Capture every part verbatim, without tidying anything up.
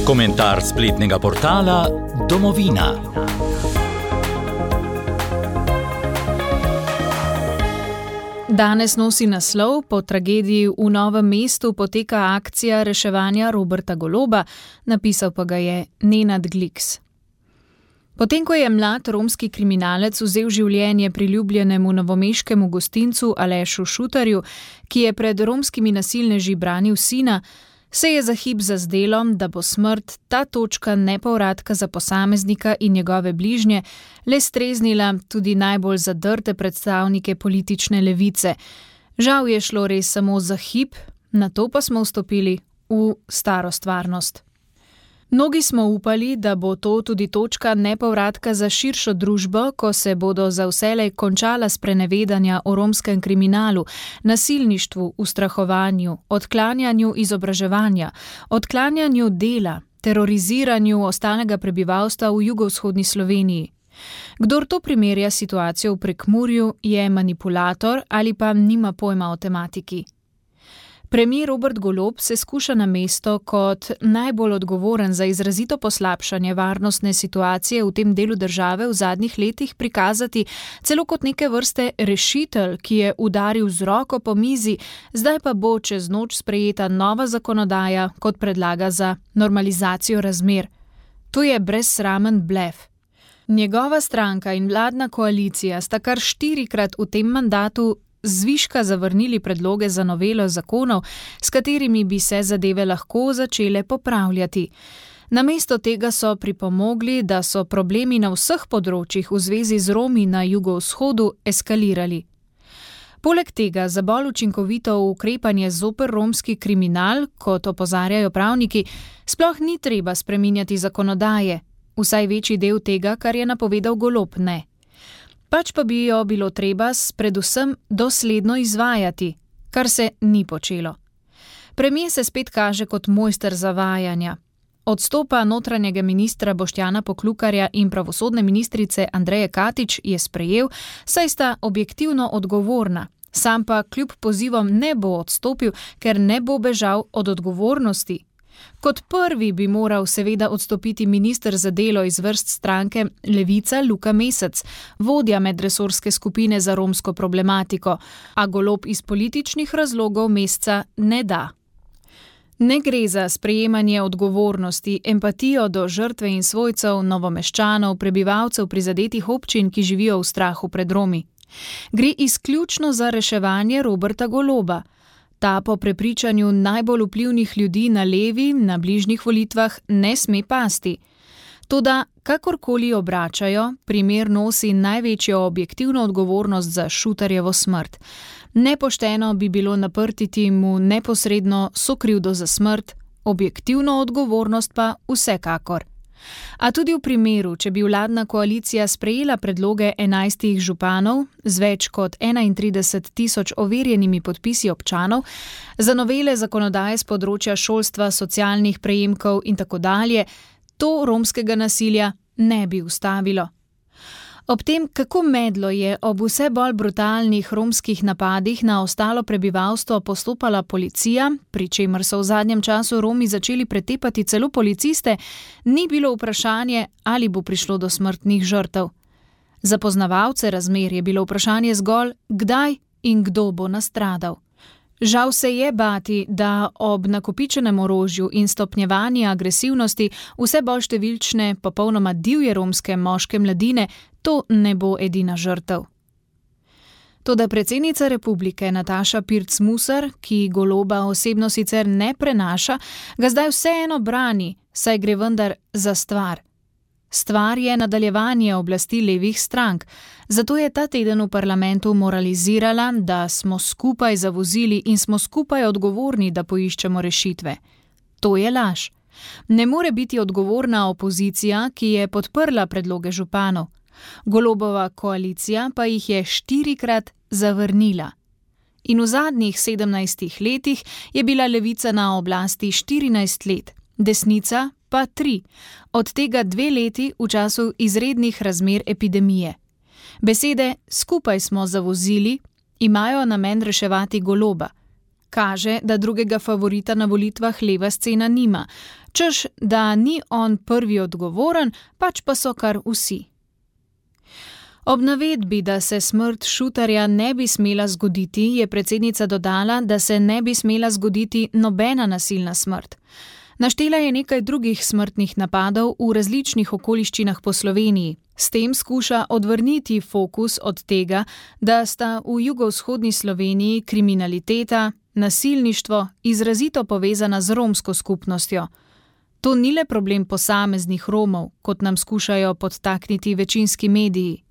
Komentar spletnega portala Domovina. Danes nosi naslov: po tragediji v Novem mestu poteka akcija reševanja Roberta Goloba, napisal pa ga je Nenad Gliks. Potem, ko je mlad romski kriminalec vzel življenje priljubljenemu novomeškemu gostincu Alešu Šutarju, ki je pred romskimi nasilneži branil sina, se je za hip zazdelo, da bo smrt, ta točka nepovratka za posameznika in njegove bližnje, le streznila tudi najbolj zadrte predstavnike politične levice. Žal je šlo res samo za hip, nato pa smo vstopili v staro stvarnost. Mnogi smo upali, da bo to tudi točka nepovratka za širšo družbo, ko se bodo za vselej končala sprenevedanja o romskem kriminalu, nasilništvu, ustrahovanju, odklanjanju izobraževanja, odklanjanju dela, teroriziranju ostalega prebivalstva v jugovzhodni Sloveniji. Kdor to primerja situacijo v Prekmurju, je manipulator ali pa nima pojma o tematiki. Premier Robert Golob se skuša na mesto kot najbolj odgovoren za izrazito poslabšanje varnostne situacije v tem delu države v zadnjih letih prikazati celo kot neke vrste rešitelj, ki je udaril z roko po mizi, zdaj pa bo čez noč sprejeta nova zakonodaja, kot predlaga za normalizacijo razmer. To je brezsramen blef. Njegova stranka in vladna koalicija sta kar štirikrat v tem mandatu zviška zavrnili predloge za novelo zakonov, s katerimi bi se zadeve lahko začele popravljati. Namesto tega so pripomogli, da so problemi na vseh področjih v zvezi z Romi na jugovzhodu eskalirali. Poleg tega za bolj učinkovito ukrepanje zoper romski kriminal, kot opozarjajo pravniki, sploh ni treba spreminjati zakonodaje, vsaj večji del tega, kar je napovedal Golob, ne. Pač pa bi jo bilo treba predvsem dosledno izvajati, kar se ni počelo. Premier se spet kaže kot mojster zavajanja. Odstopa notranjega ministra Boštjana Poklukarja in pravosodne ministrice Andreje Katič je sprejel, saj sta objektivno odgovorna, sam pa kljub pozivom ne bo odstopil, ker ne bo bežal od odgovornosti. Kot prvi bi moral seveda odstopiti minister za delo iz vrst stranke Levica Luka Mesec, vodja medresorske skupine za romsko problematiko, a Golob iz političnih razlogov Mesca ne da. Ne gre za sprejemanje odgovornosti, empatijo do žrtve in svojcev, Novomeščanov, prebivalcev prizadetih občin, ki živijo v strahu pred Romi. Gre izključno za reševanje Roberta Goloba. Ta po prepričanju najbolj vplivnih ljudi na levi na bližnjih volitvah ne sme pasti. Toda, kakorkoli obračajo, primer nosi največjo objektivno odgovornost za Šutarjevo smrt. Nepošteno bi bilo naprtiti mu neposredno sokrivdo za smrt, objektivno odgovornost pa vsekakor. A tudi v primeru, če bi vladna koalicija sprejela predloge enajstih županov z več kot enaintrideset tisoč overjenimi podpisi občanov za novele zakonodaje z področja šolstva, socialnih prejemkov in tako dalje, to romskega nasilja ne bi ustavilo. Ob tem, kako medlo je ob vse bolj brutalnih romskih napadih na ostalo prebivalstvo postopala policija, pri čemer so v zadnjem času Romi začeli pretepati celo policiste, ni bilo vprašanje, ali bo prišlo do smrtnih žrtev. Za poznavalce razmer je bilo vprašanje zgolj, kdaj in kdo bo nastradal. Žal se je bati, da ob nakopičenem orožju in stopnjevanju agresivnosti vse bolj številčne, popolnoma divje romske moške mladine, to ne bo edina žrtev. Toda predsednica republike Nataša Pirc Musar, ki Goloba osebno sicer ne prenaša, ga zdaj vseeno brani, saj gre vendar za stvar. Stvar je nadaljevanje oblasti levih strank, zato je ta teden v parlamentu moralizirala, da smo skupaj zavozili in smo skupaj odgovorni, da poiščemo rešitve. To je laž. Ne more biti odgovorna opozicija, ki je podprla predloge županov. Golobova koalicija pa jih je štirikrat zavrnila. In v zadnjih sedemnajstih letih je bila levica na oblasti štirinajst let, desnica pa tri, od tega dve leti v času izrednih razmer epidemije. Besede skupaj smo zavozili imajo namen reševati Goloba. Kaže, da drugega favorita na volitvah leva scena nima, češ, da ni on prvi odgovoren, pač pa so kar vsi. Ob navedbi, da se smrt Šutarja ne bi smela zgoditi, je predsednica dodala, da se ne bi smela zgoditi nobena nasilna smrt. Naštela je nekaj drugih smrtnih napadov v različnih okoliščinah po Sloveniji. S tem skuša odvrniti fokus od tega, da sta v jugovzhodni Sloveniji kriminaliteta, nasilništvo izrazito povezana z romsko skupnostjo. To ni le problem posameznih Romov, kot nam skušajo podtakniti večinski mediji.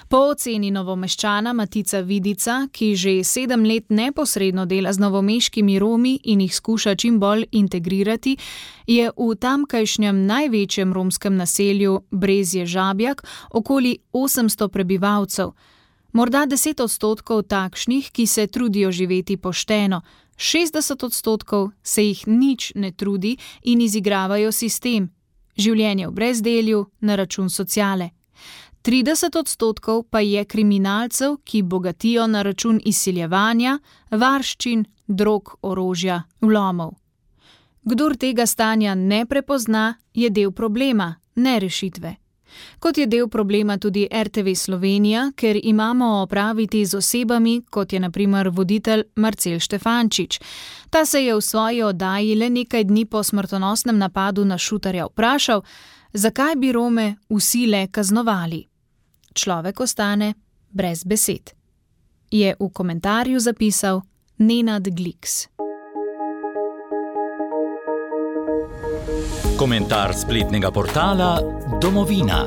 Po oceni Novomeščana Matica Vidica, ki že sedem let neposredno dela z novomeškimi Romi in jih skuša čim bolj integrirati, je v tamkajšnjem največjem romskem naselju Brezje Žabjak okoli osemsto prebivalcev. Morda deset odstotkov takšnih, ki se trudijo živeti pošteno, šestdeset odstotkov se jih nič ne trudi in izigravajo sistem, življenje v brezdelju na račun sociale. trideset odstotkov pa je kriminalcev, ki bogatijo na račun izsiljevanja, varščin, drog, orožja, vlomov. Kdor tega stanja ne prepozna, je del problema, ne rešitve. Kot je del problema tudi R T V Slovenija, ker imamo opraviti z osebami, kot je na primer voditelj Marcel Štefančič. Ta se je v svoji oddaji le nekaj dni po smrtonosnem napadu na Šutarja vprašal, zakaj bi Rome vsi le kaznovali. Človek ostane brez besed. Je v komentarju zapisal Nenad Gliks. Komentar spletnega portala Domovina.